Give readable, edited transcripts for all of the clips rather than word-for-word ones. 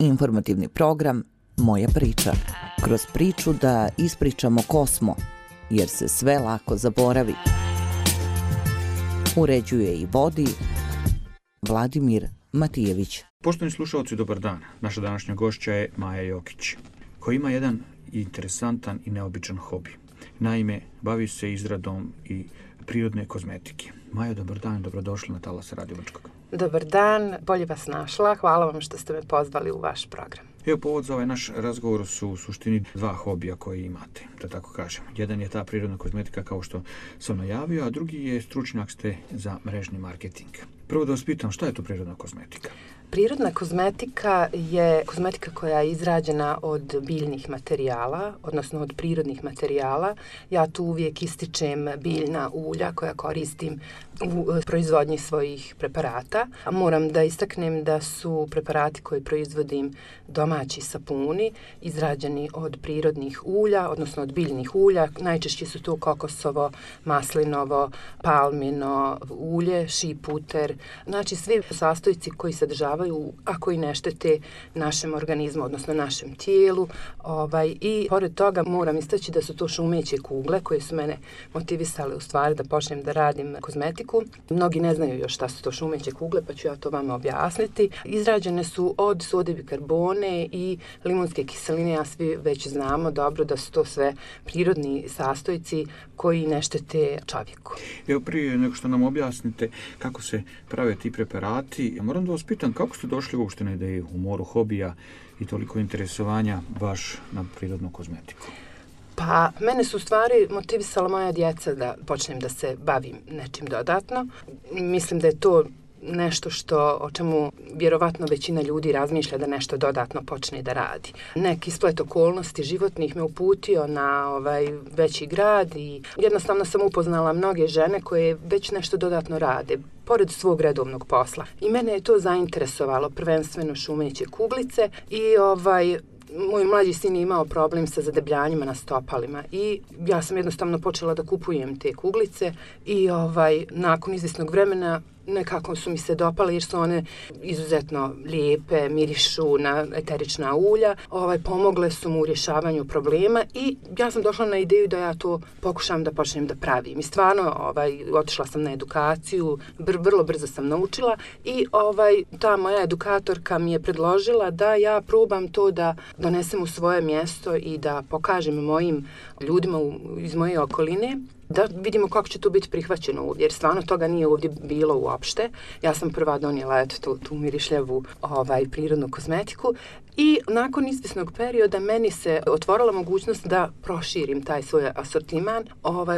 Informativni program Moja priča. Kroz priču da ispričamo ko smo, jer se sve lako zaboravi. Uređuje i vodi Vladimir Matijević. Poštovani slušalci, dobar dan. Naša današnja gošća je Maja Jokić, koja ima jedan interesantan i neobičan hobi. Naime, bavi se izradom i prirodne kozmetike. Maja, dobar dan, dobrodošla na Talas Radio Brčkog. Dobar dan, bolje vas našla. Hvala vam što ste me pozvali u vaš program. Evo, povod za ovaj naš razgovor su u suštini dva hobija koje imate, da tako kažem. Jedan je ta prirodna kozmetika, kao što sam najavio, a drugi je stručnjak ste za mrežni marketing. Prvo da vas pitam, šta je to prirodna kozmetika? Prirodna kozmetika je kozmetika koja je izrađena od biljnih materijala, odnosno od prirodnih materijala. Ja tu uvijek ističem biljna ulja koja koristim u proizvodnji svojih preparata. Moram da istaknem da su preparati koje proizvodim domaći sapuni, izrađeni od prirodnih ulja, odnosno od biljnih ulja. Najčešće su to kokosovo, maslinovo, palmino ulje, šiputer. Znači svi sastojci koji sadržavaju, a koji ne štete našem organizmu, odnosno našem tijelu. I pored toga moram istaći da su to šumeće kugle koje su mene motivisale u stvari da počnem da radim kozmetiku. Mnogi ne znaju još šta su to šumeće kugle, pa ću ja to vama objasniti. Izrađene su od sode bikarbone i limunske kiseline, a svi već znamo dobro da su to sve prirodni sastojci koji ne štete čovjeku. Evo, prije nego što nam objasnite kako se prave ti preparati, ja moram da vas pitam kako ste došli uopšte na ideju u moru hobija i toliko interesovanja baš na prirodnu kozmetiku? Pa, mene su u stvari motivisala moja djeca da počnem da se bavim nečim dodatno. Mislim da je to nešto o čemu vjerovatno većina ljudi razmišlja da nešto dodatno počne da radi. Neki splet okolnosti životnih me uputio na veći grad i jednostavno sam upoznala mnoge žene koje već nešto dodatno rade pored svog redovnog posla. I mene je to zainteresovalo, prvenstveno šumeće kuglice i moj mlađi sin je imao problem sa zadebljanjima na stopalima i ja sam jednostavno počela da kupujem te kuglice i nakon izvjesnog vremena nekako su mi se dopale jer su one izuzetno lijepe, mirišu na eterična ulja, pomogle su mu u rješavanju problema i ja sam došla na ideju da ja to pokušam da počnem da pravim. I stvarno otišla sam na edukaciju, vrlo brzo sam naučila i ta moja edukatorka mi je predložila da ja probam to da donesem u svoje mjesto i da pokažem mojim ljudima iz moje okoline, da vidimo kako će to biti prihvaćeno ovdje, jer stvarno toga nije ovdje bilo uopšte. Ja sam prva donijela tu mirišljavu prirodnu kozmetiku i nakon izvjesnog perioda meni se otvorila mogućnost da proširim taj svoj asortiman,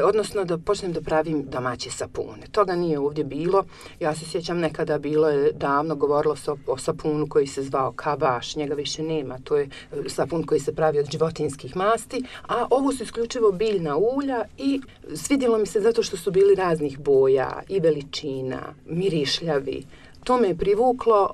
odnosno da počnem da pravim domaće sapune. Toga nije ovdje bilo. Ja se sjećam nekada bilo je davno, govorilo se o sapunu koji se zvao Kabaš, njega više nema. To je sapun koji se pravi od životinjskih masti, a ovo su isključivo biljna ulja i svidjelo mi se zato što su bili raznih boja i veličina, mirišljavi. To me je privuklo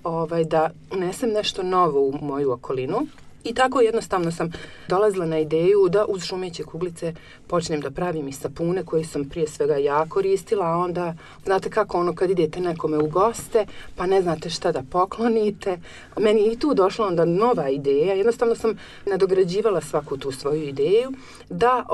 da unesem nešto novo u moju okolinu i tako jednostavno sam dolazila na ideju da uz šumeće kuglice počnem da pravim i sapune koje sam prije svega ja koristila, a onda znate kako kad idete nekome u goste pa ne znate šta da poklonite. Meni je i tu došla onda nova ideja, jednostavno sam nadograđivala svaku tu svoju ideju da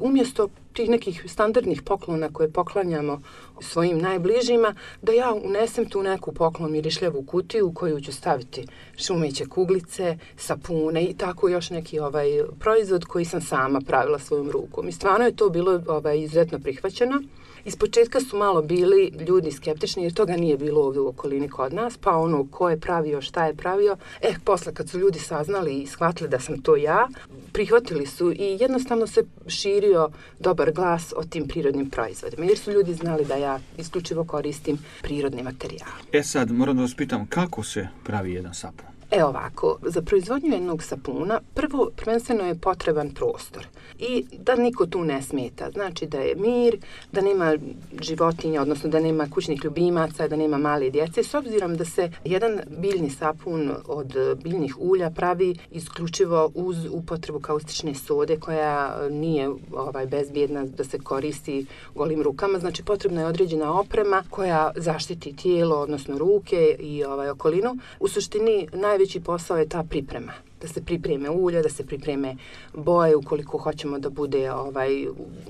umjesto tih nekih standardnih poklona koje poklanjamo svojim najbližima, da ja unesem tu neku poklon mirišljavu kutiju u koju ću staviti šumeće kuglice, sapune i tako još neki proizvod koji sam sama pravila svojom rukom. I stvarno je to bilo izuzetno prihvaćeno. Ispočetka su malo bili ljudi skeptični jer toga nije bilo ovdje u okolini kod nas, pa ko je pravio, šta je pravio. Posle kad su ljudi saznali i shvatili da sam to ja, prihvatili su i jednostavno se širio dobar glas o tim prirodnim proizvodima jer su ljudi znali da ja isključivo koristim prirodni materijal. Sad moram da vas pitam kako se pravi jedan sapun? Ovako, za proizvodnju jednog sapuna prvenstveno je potreban prostor i da niko tu ne smeta. Znači da je mir, da nema životinja, odnosno da nema kućnih ljubimaca, da nema male djece. S obzirom da se jedan biljni sapun od biljnih ulja pravi isključivo uz upotrebu kaustične sode koja nije bezbjedna da se koristi golim rukama. Znači potrebna je određena oprema koja zaštiti tijelo, odnosno ruke i okolinu. U suštini najveći najveći posao je ta priprema. Da se pripreme ulja, da se pripreme boje ukoliko hoćemo da bude u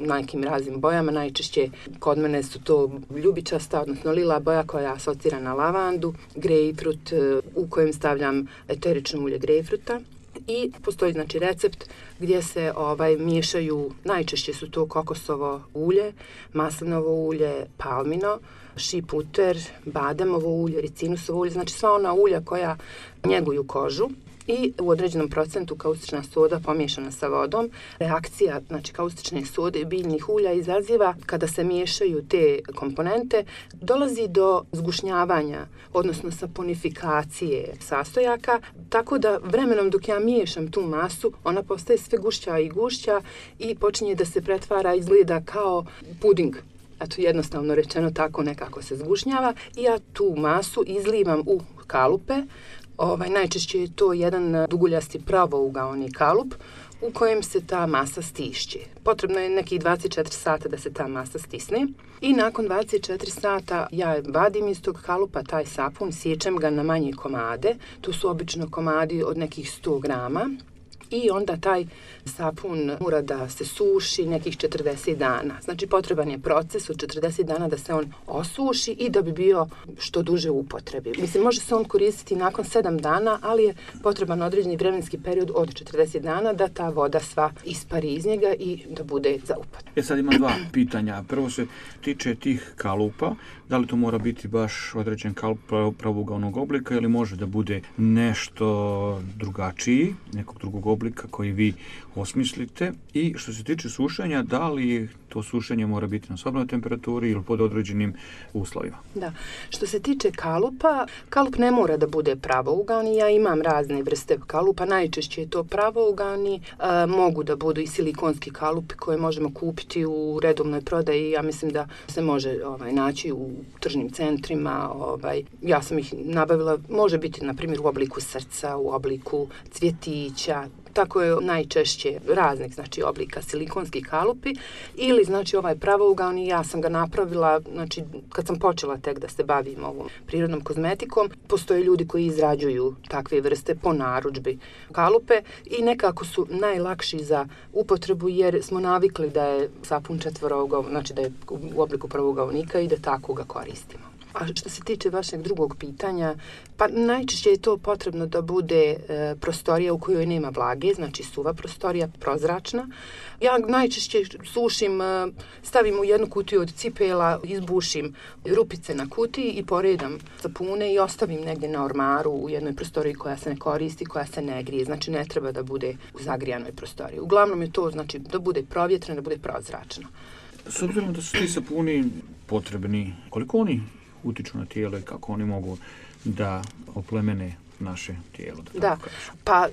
nekim raznim bojama. Najčešće kod mene su to ljubičasta, odnosno lila boja koja asocira na lavandu, grejpfrut u kojem stavljam eterično ulje grejpfruta. I postoji znači recept gdje se miješaju, najčešće su to kokosovo ulje, maslinovo ulje, palmino, shea butter, bademovo ulje, ricinusovo ulje, znači sva ona ulja koja njeguju kožu i u određenom procentu kaustična soda pomiješana sa vodom. Reakcija znači kaustične sode i biljnih ulja izaziva kada se miješaju te komponente, dolazi do zgušnjavanja, odnosno saponifikacije sastojaka, tako da vremenom dok ja miješam tu masu, ona postaje sve gušća i gušća i počinje da se pretvara, izgleda kao puding. Eto, jednostavno rečeno tako nekako se zgušnjava i ja tu masu izlivam u kalupe. Najčešće je to jedan duguljasti pravougaoni kalup u kojem se ta masa stišće. Potrebno je nekih 24 sata da se ta masa stisne i nakon 24 sata ja vadim iz tog kalupa taj sapun, sječem ga na manje komade, to su obično komadi od nekih 100 grama. I onda taj sapun mora da se suši nekih 40 dana. Znači potreban je proces od 40 dana da se on osuši i da bi bio što duže u upotrebi. Mislim, može se on koristiti nakon 7 dana, ali je potreban određeni vremenski period od 40 dana da ta voda sva ispari iz njega i da bude za upotrebu. Sad imam dva pitanja. Prvo se tiče tih kalupa. Da li to mora biti baš određen kalup pravougaonog oblika ili može da bude nešto drugačiji, nekog drugog oblika koji vi osmislite? I što se tiče sušenja, da li to sušenje mora biti na sobnoj temperaturi ili pod određenim uslovima? Da. Što se tiče kalupa, kalup ne mora da bude pravougaoni. Ja imam razne vrste kalupa, najčešće je to pravougaoni. Mogu da budu i silikonski kalupi koje možemo kupiti u redovnoj prodaji. Ja mislim da se može naći u tržnim centrima. Ja sam ih nabavila, može biti na primjer u obliku srca, u obliku cvjetića. Tako je najčešće raznih znači oblika silikonski kalupi ili znači pravougaoni. Ja sam ga napravila znači kad sam počela tek da se bavim ovom prirodnom kozmetikom. Postoje ljudi koji izrađuju takve vrste po narudžbi kalupe i nekako su najlakši za upotrebu jer smo navikli da je sapun četvorougaon, znači da je u obliku pravougaonika i da tako ga koristimo. A što se tiče vašeg drugog pitanja, pa najčešće je to potrebno da bude prostorija u kojoj nema vlage, znači suva prostorija, prozračna. Ja najčešće sušim, stavim u jednu kutiju od cipela, izbušim rupice na kutiji i poredam sapune i ostavim negdje na ormaru u jednoj prostoriji koja se ne koristi, koja se ne grije. Znači ne treba da bude u zagrijanoj prostoriji. Uglavnom je to znači da bude provjetreno, da bude prozračno. S obzirom da su ti sapuni potrebni, koliko oni utiču na tijelo i kako oni mogu da oplemene naše tijelo. Da, pa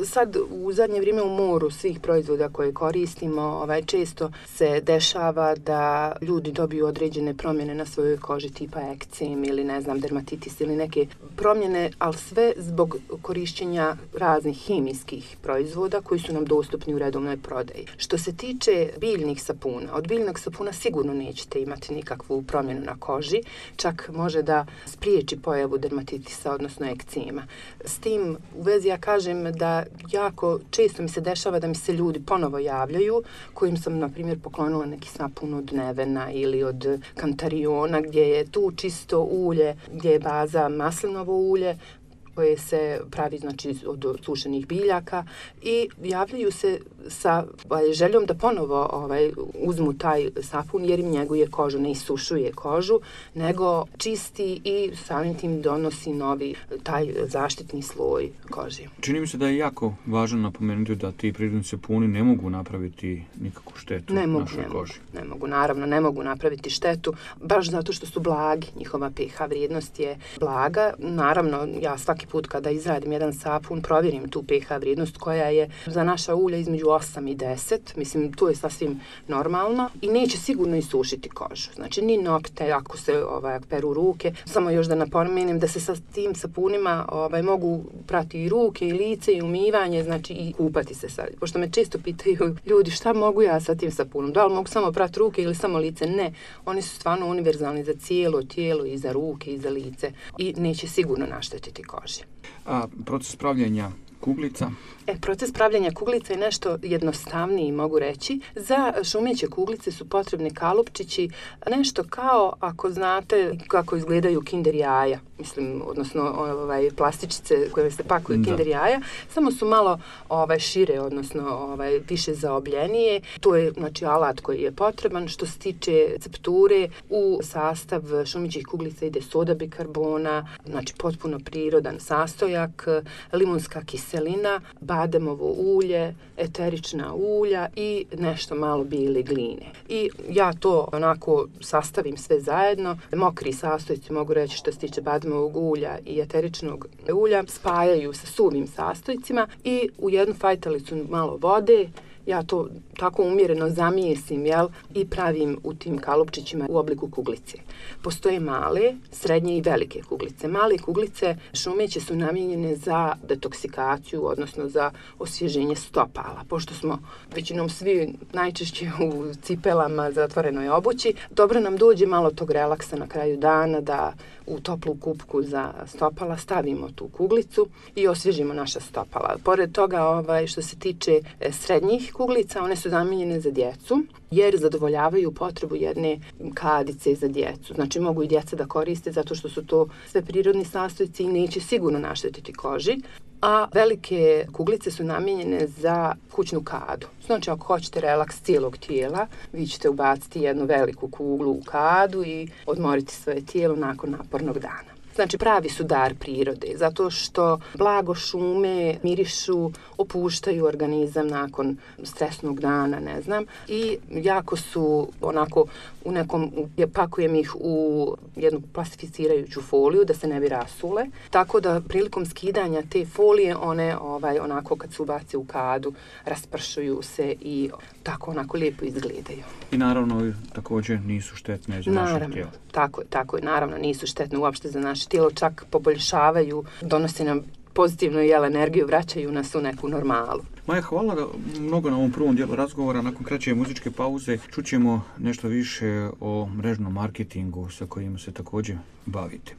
sad u zadnje vrijeme u moru svih proizvoda koje koristimo, često se dešava da ljudi dobiju određene promjene na svojoj koži tipa ekcem ili ne znam dermatitis ili neke promjene, ali sve zbog korišćenja raznih hemijskih proizvoda koji su nam dostupni u redovnoj prodaji. Što se tiče biljnih sapuna, od biljnog sapuna sigurno nećete imati nikakvu promjenu na koži, čak može da spriječi pojavu dermatitisa, odnosno ekcema. S tim u vezi ja kažem da jako često mi se dešava da mi se ljudi ponovo javljaju kojim sam, na primjer, poklonila neki sapun od Nevena ili od Kantariona gdje je tu čisto ulje, gdje je baza maslinovo ulje koje se pravi znači od sušenih biljaka i javljaju se sa željom da ponovo uzmu taj sapun jer im njeguje kožu, ne isušuje kožu, nego čisti i samim tim donosi novi taj zaštitni sloj koži. Čini mi se da je jako važno napomenuti da ti prirodni sapuni ne mogu napraviti nikakvu štetu našoj koži. Ne mogu napraviti štetu, baš zato što su blagi, njihova pH vrijednost je blaga. Naravno, ja svaki put kada izradim jedan sapun, provjerim tu pH vrijednost koja je za naša ulja između 8 i 10. Mislim, to je sasvim normalno i neće sigurno isušiti kožu. Znači, ni nokte, ako se peru ruke. Samo još da napomenem da se sa tim sapunima mogu prati i ruke i lice i umivanje, znači i kupati se sad. Pošto me često pitaju ljudi šta mogu ja sa tim sapunom? Da li mogu samo prati ruke ili samo lice? Ne. Oni su stvarno univerzalni za cijelo tijelo i za ruke i za lice i neće sigurno naštetiti koži. koži. A proces pravljenja kuglica? Proces pravljenja kuglica je nešto jednostavniji, mogu reći. Za šumeće kuglice su potrebni kalupčići, nešto kao, ako znate kako izgledaju kinder jaja, mislim, odnosno plastičice koje se pakuju kinder jaja, samo su malo šire, odnosno više zaobljenije. To je, znači, alat koji je potreban. Što se tiče recepture, u sastav šumećih kuglica ide soda bikarbona, znači potpuno prirodan sastojak, limunska kiselina, bademovo ulje, eterična ulja i nešto malo bijele gline. I ja to onako sastavim sve zajedno. Mokri sastojci, mogu reći, što se tiče bademovog ulja i eteričnog ulja, spajaju sa suvim sastojcima i u jednu fajtalicu malo vode. Ja to tako umjereno zamijesim, i pravim u tim kalupčićima u obliku kuglice. Postoje male, srednje i velike kuglice. Male kuglice šumeće su namijenjene za detoksikaciju, odnosno za osvježenje stopala. Pošto smo većinom svi najčešće u cipelama, zatvorenoj obući, dobro nam dođe malo tog relaksa na kraju dana da u toplu kupku za stopala stavimo tu kuglicu i osvježimo naša stopala. Pored toga, što se tiče srednjih kuglica, one su namijenjene za djecu, jer zadovoljavaju potrebu jedne kadice za djecu. Znači, mogu i djeca da koriste zato što su to sve prirodni sastojci i neće sigurno naštetiti koži. A velike kuglice su namijenjene za kućnu kadu. Znači, ako hoćete relaks cijelog tijela, vi ćete ubaciti jednu veliku kuglu u kadu i odmoriti svoje tijelo nakon napornog dana. Znači, pravi su dar prirode, zato što blago šume mirišu, opuštaju organizam nakon stresnog dana, ne znam, i jako su onako pakujem ih u jednu plastificirajuću foliju da se ne bi rasule, tako da prilikom skidanja te folije one onako kad se ubace u kadu raspršuju se i tako onako lijepo izgledaju. I naravno također nisu štetne za naše tijelo. Tako je, naravno nisu štetne uopšte za naše tijelo, čak poboljšavaju, donose nam pozitivnu energiju, vraćaju nas u neku normalu. Maja, hvala mnogo na ovom prvom dijelu razgovora. Nakon kraće muzičke pauze čućemo nešto više o mrežnom marketingu sa kojim se također bavite.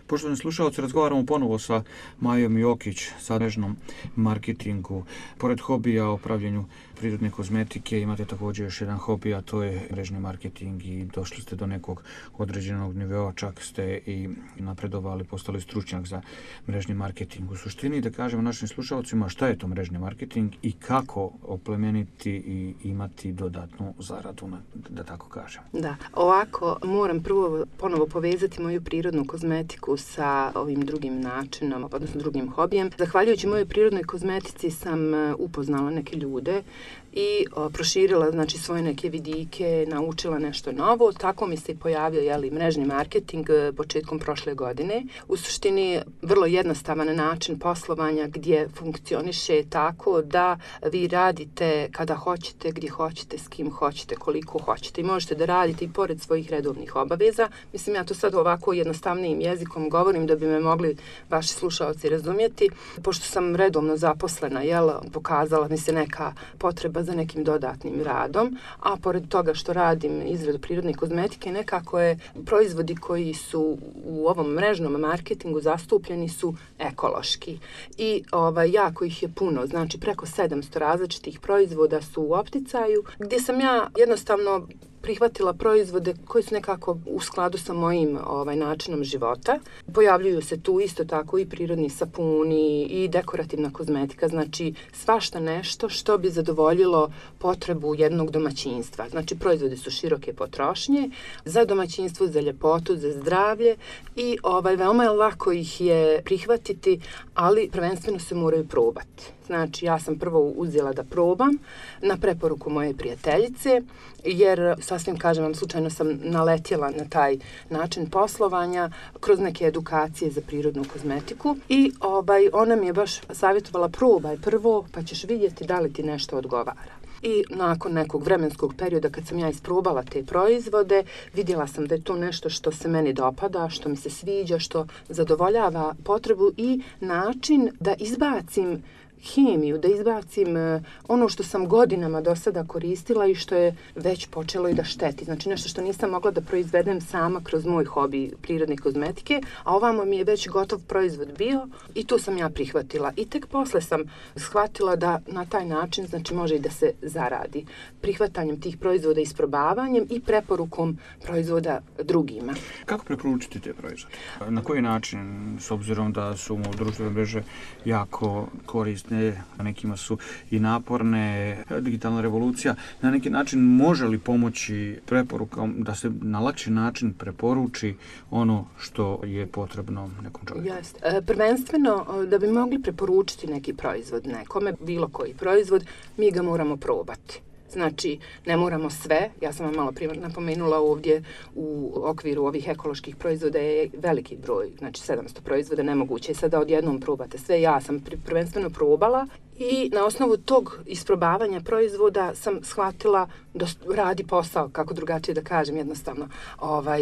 Poštovani slušalci, razgovaramo ponovo sa Majom Jokić, sa mrežnom marketingu. Pored hobija o pravljenju prirodne kozmetike, imate također još jedan hobi, a to je mrežni marketing i došli ste do nekog određenog nivoa, čak ste i napredovali, postali stručnjak za mrežni marketing. U suštini, da kažemo našim slušalcima šta je to mrežni marketing i kako oplemeniti i imati dodatnu zaradu, da tako kažem. Da, ovako moram prvo ponovo povezati moju prirodnu kozmetiku sa ovim drugim načinom, odnosno drugim hobijem. Zahvaljujući mojoj prirodnoj kozmetici sam upoznala neke ljude i proširila znači svoje neke vidike, naučila nešto novo. Tako mi se i pojavio mrežni marketing početkom prošle godine. U suštini vrlo jednostavan način poslovanja gdje funkcioniše tako da vi radite kada hoćete, gdje hoćete, s kim hoćete, koliko hoćete i možete da radite i pored svojih redovnih obaveza. Mislim, ja to sad ovako jednostavnijim jezikom govorim da bi me mogli vaši slušalci razumjeti. Pošto sam redovno zaposlena, pokazala mi se neka potreba za nekim dodatnim radom, a pored toga što radim izradu prirodne kozmetike, nekako je proizvodi koji su u ovom mrežnom marketingu zastupljeni su ekološki. I jako ih je puno, znači preko 700 različitih proizvoda su u opticaju, gdje sam ja jednostavno prihvatila proizvode koji su nekako u skladu sa mojim načinom života. Pojavljuju se tu isto tako i prirodni sapuni i dekorativna kozmetika, znači svašta nešto što bi zadovoljilo potrebu jednog domaćinstva. Znači proizvodi su široke potrošnje za domaćinstvo, za ljepotu, za zdravlje i veoma je lako ih je prihvatiti, ali prvenstveno se moraju probati. Znači, ja sam prvo uzela da probam na preporuku moje prijateljice, jer sasvim kažem vam, slučajno sam naletjela na taj način poslovanja kroz neke edukacije za prirodnu kozmetiku i ona mi je baš savjetovala probaj prvo pa ćeš vidjeti da li ti nešto odgovara. I nakon nekog vremenskog perioda kad sam ja isprobala te proizvode, vidjela sam da je to nešto što se meni dopada, što mi se sviđa, što zadovoljava potrebu i način da izbacim hemiju, da izbacim ono što sam godinama do sada koristila i što je već počelo i da šteti. Znači nešto što nisam mogla da proizvedem sama kroz moj hobi prirodne kozmetike, a ovamo mi je već gotov proizvod bio i tu sam ja prihvatila. I tek posle sam shvatila da na taj način znači može i da se zaradi prihvatanjem tih proizvoda, isprobavanjem i preporukom proizvoda drugima. Kako preporučiti te proizvode? Na koji način, s obzirom da su društvene mreže jako korisne, na nekima su i naporne, digitalna revolucija, na neki način može li pomoći preporukom da se na lakši način preporuči ono što je potrebno nekom čovjeku? Prvenstveno, da bi mogli preporučiti neki proizvod nekome, bilo koji proizvod, mi ga moramo probati. Znači, ne moramo sve, ja sam vam malo prije napomenula ovdje u okviru ovih ekoloških proizvoda je veliki broj, znači 700 proizvoda, nemoguće je sada odjednom probate sve, ja sam prvenstveno probala i na osnovu tog isprobavanja proizvoda sam shvatila da radi posao, kako drugačije da kažem jednostavno.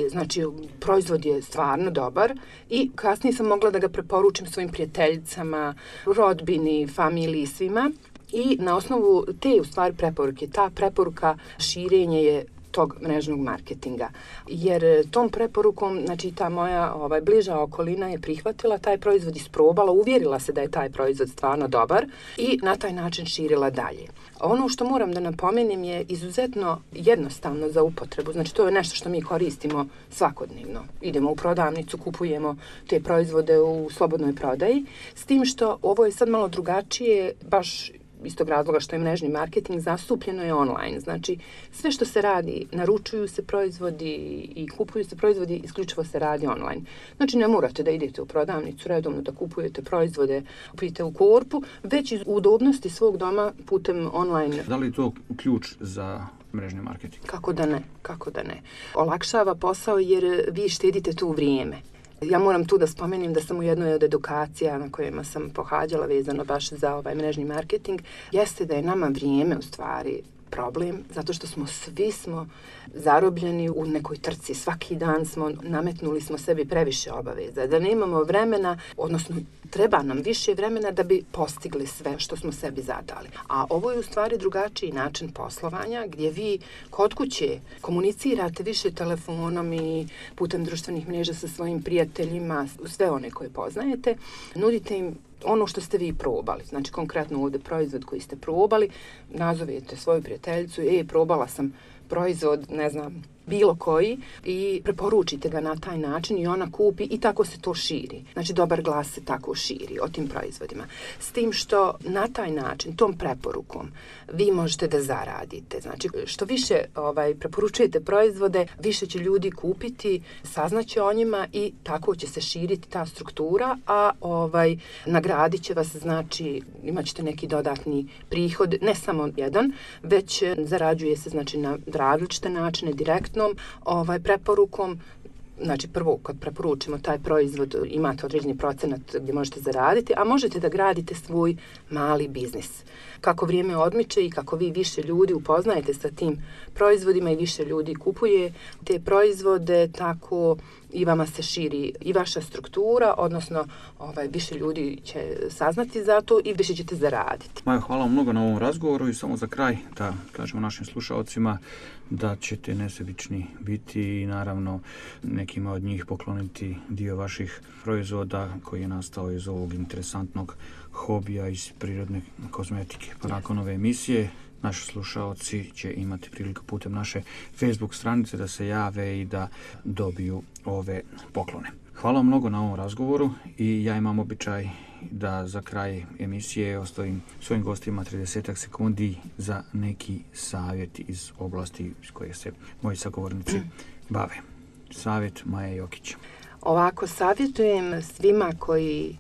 Znači, proizvod je stvarno dobar i kasnije sam mogla da ga preporučim svojim prijateljicama, rodbini, familiji, svima. I na osnovu te u stvari preporuke, ta preporuka širenje je tog mrežnog marketinga. Jer tom preporukom, znači ta moja bliža okolina je prihvatila taj proizvod, isprobala, uvjerila se da je taj proizvod stvarno dobar i na taj način širila dalje. Ono što moram da napomenem je izuzetno jednostavno za upotrebu. Znači to je nešto što mi koristimo svakodnevno. Idemo u prodavnicu, kupujemo te proizvode u slobodnoj prodaji. S tim što ovo je sad malo drugačije, baš iz tog razloga što je mrežni marketing zastupljeno je online. Znači, sve što se radi, naručuju se proizvodi i kupuju se proizvodi, isključivo se radi online. Znači, ne morate da idete u prodavnicu redovno da kupujete proizvode, kupite u korpu, već iz udobnosti svog doma putem online. Da li je to ključ za mrežni marketing? Kako da ne. Olakšava posao jer vi štedite tu vrijeme. Ja moram tu da spomenem da sam u jednoj od edukacija na kojima sam pohađala vezano baš za mrežni marketing, jeste da je nama vrijeme u stvari problem, zato što svi smo zarobljeni u nekoj trci. Svaki dan nametnuli smo sebi previše obaveza, da nemamo vremena, odnosno treba nam više vremena da bi postigli sve što smo sebi zadali. A ovo je u stvari drugačiji način poslovanja, gdje vi kod kuće komunicirate više telefonom i putem društvenih mreža sa svojim prijateljima, sve one koje poznajete, nudite im ono što ste vi probali. Znači, konkretno ovdje proizvod koji ste probali, nazovete svoju prijateljicu, probala sam proizvod, ne znam, bilo koji, i preporučite ga na taj način i ona kupi i tako se to širi. Znači, dobar glas se tako širi o tim proizvodima. S tim što na taj način, tom preporukom, vi možete da zaradite. Znači, što više preporučujete proizvode, više će ljudi kupiti, saznaće o njima i tako će se širiti ta struktura, a nagradit će vas, znači, imat ćete neki dodatni prihod, ne samo jedan, već zarađuje se, znači, na različite načine, direktnom preporukom. Znači, prvo, kad preporučimo taj proizvod, imate određeni procenat gdje možete zaraditi, a možete da gradite svoj mali biznis. Kako vrijeme odmiče i kako vi više ljudi upoznajete sa tim proizvodima i više ljudi kupuje te proizvode, tako i vama se širi i vaša struktura, odnosno više ljudi će saznati za to i više ćete zaraditi. Majo, hvala vam mnogo na ovom razgovoru i samo za kraj da kažemo našim slušalcima da ćete nesebični biti i naravno nekima od njih pokloniti dio vaših proizvoda koji je nastao iz ovog interesantnog hobija iz prirodne kozmetike. Pa nakon ove emisije naši slušaoci će imati priliku putem naše Facebook stranice da se jave i da dobiju ove poklone. Hvala vam mnogo na ovom razgovoru i ja imam običaj da za kraj emisije ostavim svojim gostima 30 sekundi za neki savjet iz oblasti s koje se moji sagovornici bave. Savjet Maje Jokić. Ovako, savjetujem svima koji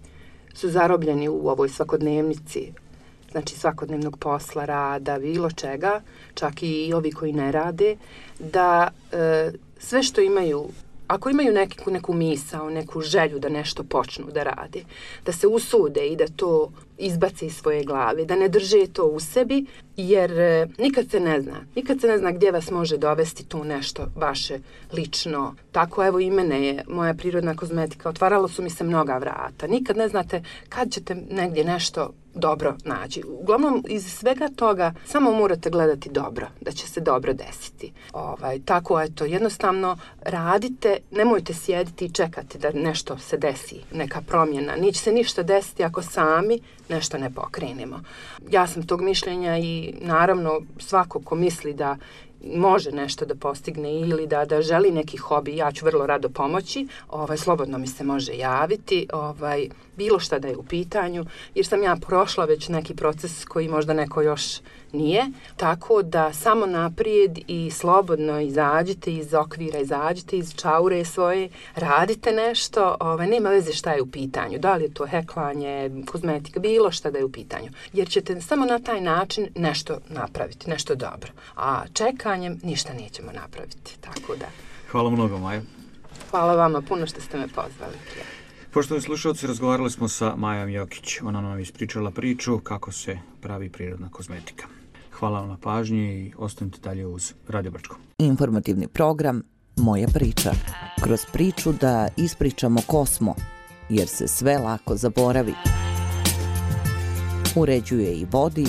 su zarobljeni u ovoj svakodnevnici, znači svakodnevnog posla, rada, bilo čega, čak i ovi koji ne rade, da sve što imaju, ako imaju neku misao, neku želju da nešto počnu da rade, da se usude i da to izbace iz svoje glave, da ne drže to u sebi, jer nikad se ne zna gdje vas može dovesti tu nešto vaše lično. Tako, evo, i mene je moja prirodna kozmetika, otvaralo su mi se mnoga vrata. Nikad ne znate kad ćete negdje nešto dobro naći. Uglavnom, iz svega toga samo morate gledati dobro, da će se dobro desiti. Tako, eto, jednostavno radite, nemojte sjediti i čekati da nešto se desi, neka promjena. Neće se ništa desiti ako sami nešto ne pokrenemo. Ja sam tog mišljenja i naravno svako ko misli da može nešto da postigne ili da želi neki hobi, ja ću vrlo rado pomoći, slobodno mi se može javiti, bilo šta da je u pitanju, jer sam ja prošla već neki proces koji možda neko još nije, tako da samo naprijed i slobodno izađite iz okvira, izađite iz čaure svoje, radite nešto, nema veze šta je u pitanju, da li je to heklanje, kozmetika, bilo šta da je u pitanju, jer ćete samo na taj način nešto napraviti, nešto dobro, a čekanjem ništa nećemo napraviti, tako da. Hvala mnogo, Maja. Hvala vama puno što ste me pozvali. Poštovani slušalci, razgovarali smo sa Majom Jokić. Ona nam ispričala priču kako se pravi prirodna kozmetika. Hvala vam na pažnji i ostanite dalje uz Radio Brčko. Informativni program Moja priča. Kroz priču da ispričamo ko smo, jer se sve lako zaboravi. Uređuje i vodi